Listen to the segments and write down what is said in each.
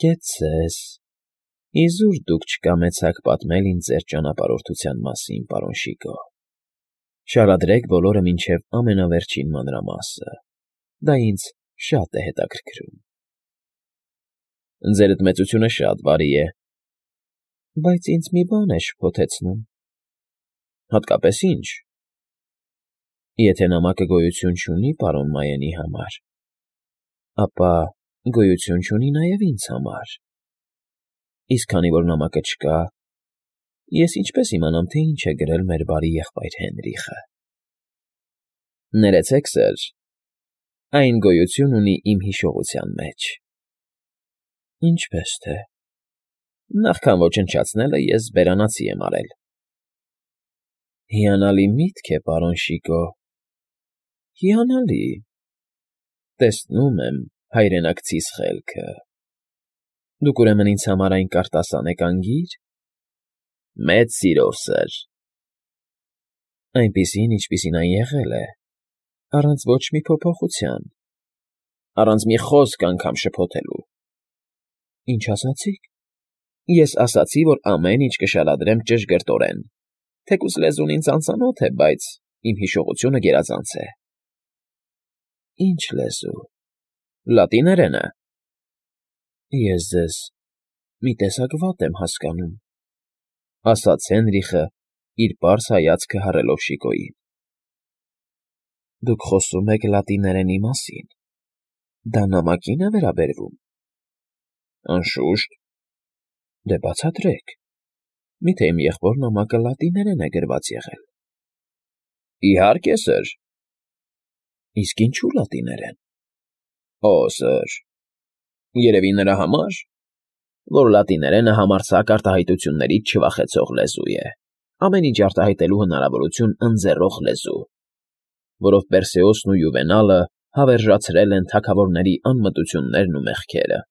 Կեցցես, իզուր դուք չկամեցաք պատմել ինձ ձեր ճանապարհորդության մասին, պարոն Շիկո, շարադրեք բոլորը մինչև ամենավերջին մանրամասը, դա ինձ շատ է հետաքրքրում։ Ձերդ մեծությունը շատ բարի է, բայց ինձ մի բան է շփոթեցնում։ Հատկապես ինչ։ Եթե նամակը գոյություն չունի պարոն Մայենի համար, ապա գոյություն չունի նաև ինձ համար։ Իսկ քանի որ նամակը չկա, ես ինչպես իմանամ, թե ինչ է գրել մեր բարի եղբայր Հենրիխը։ Ներեցեք, սըր, այն գոյություն ունի իմ հիշողության մեջ։ Ինչպես թե։ Նախքան ոչնչացնելը ես բերանացի եմ արել։ Հիանալի միտք է, պարոն Շիկո, հիանալի։ Տեսնում եմ հայրենակցիս խելքը։ Դուք ուրեմն ինձ համար այն կարտասան եք անգիր։ Մեծ սիրով, սըր։ Այնպիսին, ինչպիսին այն եղել է, առանց ոչ մի փոփոխության, առանց մի խոսք անգամ շփոթելու։ Ինչ ասացիք։ Ես ասացի, որ ամեն ինչ կշարադրեմ ճշգրտորեն, թեկուզ լեզուն ինձ անծանոթ է, բայց իմ հիշողությունը գերազանց է։ Ինչ լեզու։ Լատիներենը։ Ես ձեզ մի տեսակ վատ եմ հասկանում, ասաց Հենրիխը, իր պարզ հայացքը հառելով Շիկոյին։ Դուք խոսում եք լատիներենի մասին։ Դա նամակին է վերաբերվում։ Անշուշտ։ Դե բացատրեք։ Միթե իմ եղբոր նամակը լատիներեն է գրված եղել։ Իհարկե, սըր։ Իսկ ինչու լատիներեն։ Օ, սըր, երևի նրա համար, որ լատիներենը համարձակ արտահայտություններից չվախեցող լեզու է, ամեն ինչ արտահայտելու հնարավորություն ընձեռող լեզու, որով Պերսեոսն ու Յուվենալը հավերժացրել են թագավորների անմտություններն ու մեղքերը։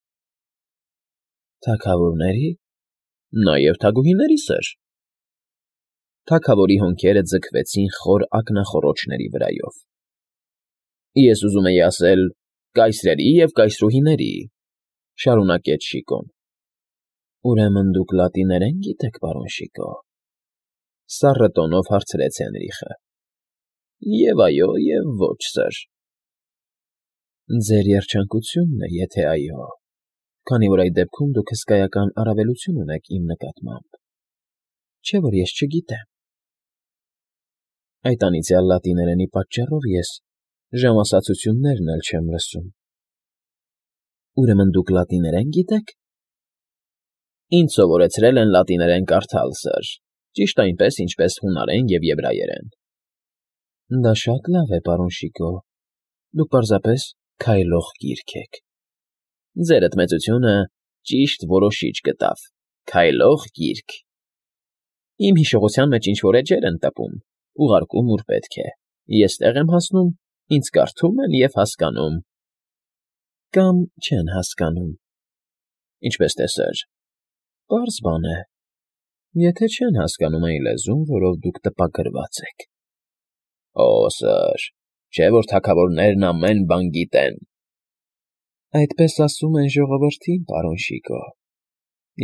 Թագավորների։ Նաև թագուհիների, սըր։ Թագավորի հոնքերը ձգվեցին խոր ակնախոռոչների վրայով։ Ես ուզում էի ասել կայսրերի և կայսրուհիների, շարունակեց Շիկոն։ Ուրեմն դուք լատիներեն գիտեք, պարոն Շիկո։ Սառը տոնով հարցրեց Հենրիխը։ Եվ այո, և ոչ, սըր։ Ձեր երջանկությունն է, եթե այո, քանի որ այդ դեպքում դուք հսկայական առավելություն ունեք իմ նկատմամբ, չէ՞ որ ես չգիտեմ։ Այդ անիծյալ լատիներենի պատճառով ես ժամասացություններն էլ չեմ լսում։ Ուրեմն դուք լատիներեն գիտեք։ Ինձ սովորեցրել են լատիներեն կարդալ, սըր, ճիշտ այնպես, ինչպես հունարեն և եբրայերեն։ Դա շատ լավ է, պարոն Շիկո, դուք պարզապես քայլող գիրք եք։ Ձերդ մեծությունը ճիշտ որոշիչ գտավ, քայլող գիրք։ Իմ հիշողության մեջ ինչ-որ էջեր են տպում, ուղարկում, ուր պետք է, ես տեղ եմ հասնում, ինձ կարդում են և հասկանում։ Կամ չեն հասկանում։ Ինչպես թե, սըր, պարզ բան է, եթե չեն հասկանում այն լեզուն, որով դուք տպագրված եք։ Օ, սըր, չէ՞ որ թագավորներն ամեն բան գիտեն։ Այդպես ասում են ժողովրդին, պարոն Շիկո,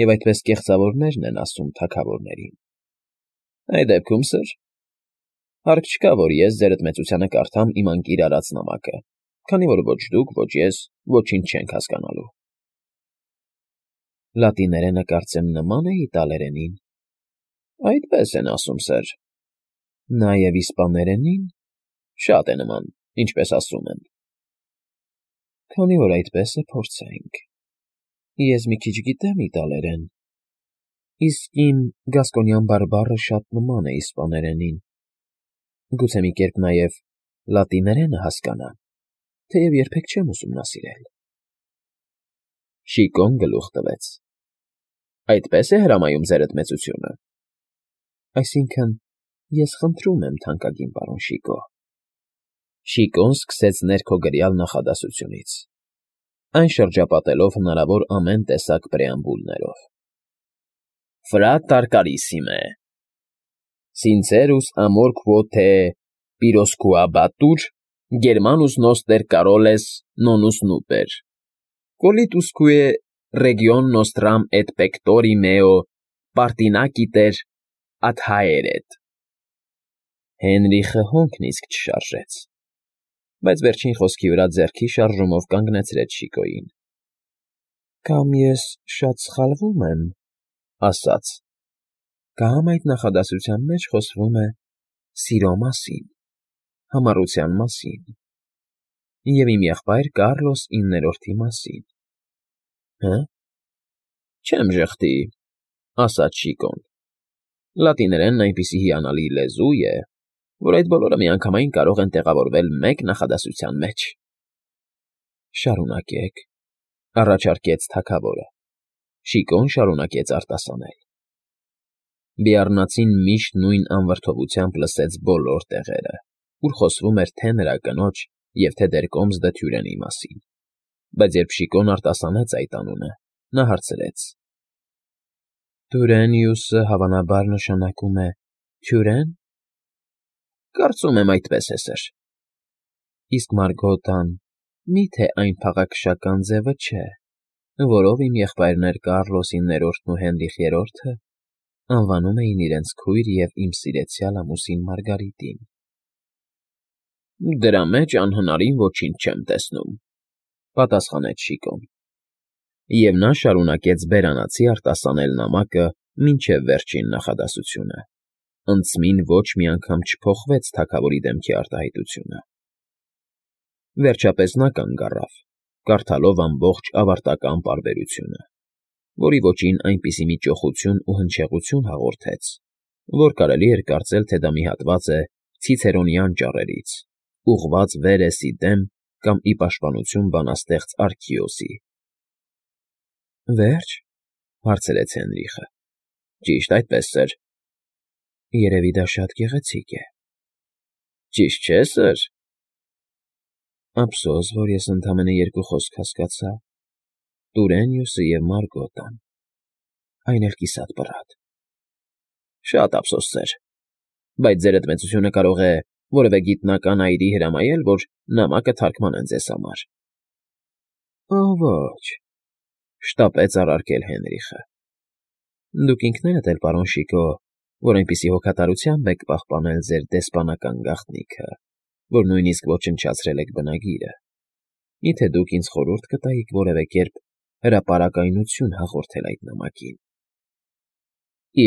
և այդպես կեղծավորներն են ասում թագավորներին։ Այդ դեպքում, սըր, հարկ չկա, որ ես ձերդ մեծությանը կարդամ իմ անկիր արած նամակը, քանի որ ոչ դուք, ոչ ես ոչինչ չենք հասկանալու։ Լատիներենը կարծեմ նման է իտալերենին։ Այդպես են ասում, սըր։ Նաև իսպաներենին շատ է նման, ինչպես ասում են։ Քանի որ այդպես է, փորձենք։ Ես մի քիչ գիտեմ իտալերեն, իսկ իմ գասկոնյան բարբառը շատ նման է իսպաներենին։ Գուցե մի կերպ նաև լատիներենը հասկանամ, թեև երբեք չեմ ուսումնասիրել։ Շիկոն գլուխ տվեց։ Այդպես է հրամայում ձերդ մեծությունը։ Այսինքն, ես խնդրում եմ, թանկագին պարոն Շիկո։ Շիկոն սկսեց ներքոգրյալ նախադասությունից, այն շրջապատելով հնարավոր ամեն տեսակ պրեամբուլներով։ Frater carissime, sincerus amor quo te pirosquabatur, Germanus noster Caroles nonus nuper, quolitusque Region nostram et pectori meo partinaciter ad haeret։ Հենրիխը հոնքն իսկ չշարժեց, բայց վերջին խոսքի վրա ձեռքի շարժումով կանգնեցրեց Շիկոյին։ Կամ ես շատ սխալվում եմ, ասաց, կամ այդ նախադասության մեջ խոսվում է սիրո մասին, համառության մասին և իմ եղբայր Կառլոս 9-րդի մասին։ Հը՞, չեմ ժխտի, ասաց Շիկոն։ Լատիներենն այնպիսի հիանալի լեզու է, որ այդ բոլորը միանգամայն կարող են տեղավորվել մեկ նախադասության մեջ։ Շարունակեք, առաջարկեց թագավորը։ Շիկոն շարունակեց արտասանել։ Բիառնացին միշտ նույն անվրդովությամբ լսեց բոլոր տեղերը, ուր խոսվում էր թե նրա կնոջ և թե դեռ կոմս դթյուրենի մասին, բայց երբ Շիկոն արտասանեց այդ անունը, նա հարցրեց. Դուրենիուսը հավանաբար նշանակում է թյուրեն։ Կարծում եմ այդպես է, սըր։ Իսկ Մարգոտան մի՞թե այն փաղաքշական ձևը չէ, որով իմ եղբայրներ Կառլոս 9-րդն ու Հենրիխ III-ը անվանում էին իրենց քույր և իմ սիրեցյալ ամուսին Մարգարիտին։ Դրա մեջ անհնարին ոչինչ չեմ տեսնում, պատասխանեց Շիկոն։ Եվ նա շարունակեց բերանացի արտասանել նամակը մինչև վերջին նախադասությունը։ Անցմին ոչ մի անգամ չփոխվեց թագավորի դեմքի արտահայտությունը։ Վերջապես նա կանգ առավ, կարդալով ամբողջ ավարտական պարբերությունը, որի ոճին այնպիսի մի ճոխություն ու հնչեղություն հաղորդեց, որ կարելի էր կարծել, թե դա մի հատված է ցիցերոնյան ճառերից, ուղղված Վերեսի դեմ կամ ի պաշտպանություն բանաստեղծ Արքիոսի։ Վերջ, հարցրեց Հենրիխը։ Ճիշտ այդպես, սըր։ Երևի դա շատ գեղեցիկ է։ Ճիշտ չէ, սըր։ Ափսոս, որ ես ընդամենը երկու խոսք հասկացա. Տուրենիուսը և Մարգոտան։ Այն էլ կիսատ պռատ։ Շատ ափսոս, սըր, բայց ձեր էդմեցությունը կարող է որևէ գիտնական այրի հրամայել, որ նամակը թարգմանեն ձեզ համար։ Ոչ, շտապեց առարկել Հենրիխը։ Դուք ինքներդ էլ, պարոն Շիկո, որ այնպիսի հոգատարությամբ եք պահպանել ձեր դեսպանական գաղտնիքը, որ նույնիսկ ոչնչացրել եք բնագիրը, միթե դուք ինձ խորհուրդ կտայիք որևէ կերպ հրապարակայնություն հաղորդել այդ նամակին։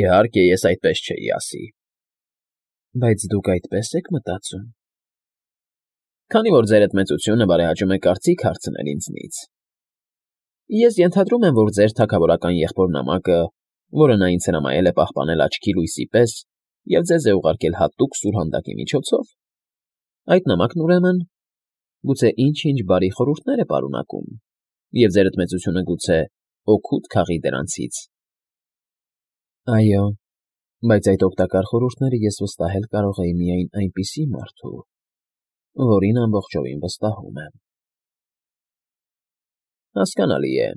Իհարկե, ես այդպես չէի ասի։ Բայց դուք այդպես եք մտածում։ Քանի որ ձեր էդմեցությունը բարեհաճում է կարծիք հարցնել ինձնից։ Ես ենթադրում եմ, որ ձեր թագավորական եղբոր նամակը, որը նա ինձ հրամայել է պահպանել աչքի լույսի պես և ձեզ է ուղարկել հատուկ սուրհանդակի միջոցով, այդ նամակն ուրեմն գուցե ինչ-ինչ բարի խորհուրդներ է պարունակում, և ձեր էդմեցությունը գուցե օգուտ քաղի դրանցից։ Այո, բայց այդ օգտակար խորհուրդները ես վստահել կարող էի միայն այնպիսի մարդու, որին ամբողջովին վստահում եմ։ Հասկանալի է։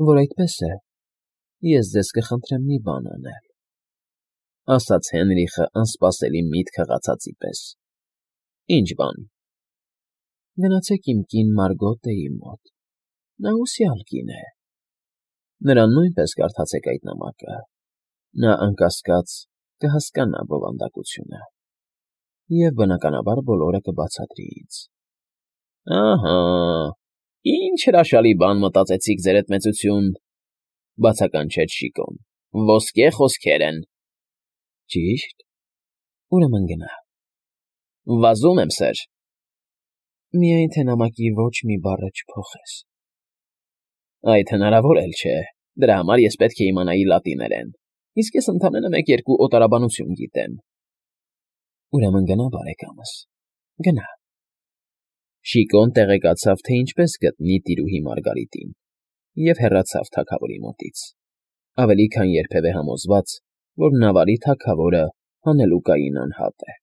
Որ այդպես է, ես ձեզ կխնդրեմ մի բան անել, ասաց Հենրիխը անսպասելի միտք հղացածի պես։ Ինչ բան։ Գնացեք իմ կին Մարգոտեի մոտ, նա հուսյալ կին է։ Նրան նույնպես կարդացեք այդ նամակը, նա անկասկած կհասկանա բովանդակությունը և, բնականաբար, բոլորը կբացատրի ինձ։ Ահա, ինչ հրաշալի բան մտածեցիք, ձեր էդմեցություն, բացականչեց Շիկոն։ Ոսկե խոսքեր են։ Ճիշտ։ Ուրեմն գնա։ Վազում եմ, սըր։ Միայն թե նամակի ոչ մի բառը չփոխես։ Այդ հնարավոր էլ չէ։ Դրա համար ես պետք է իմանայի լատիներեն, իսկ ես ընդամենը մեկ-երկու օտարաբանություն գիտեմ։ Ուրեմն գնա, բարեկամս, գնա։ Շիկոն տեղեկացավ, թե ինչպես գտնի տիրուհի Մարգարիտին, և հեռացավ թագավորի մոտից, ավելի քան երբևէ համոզված, որ նավարի թագավորը հանելուկային անհատ է։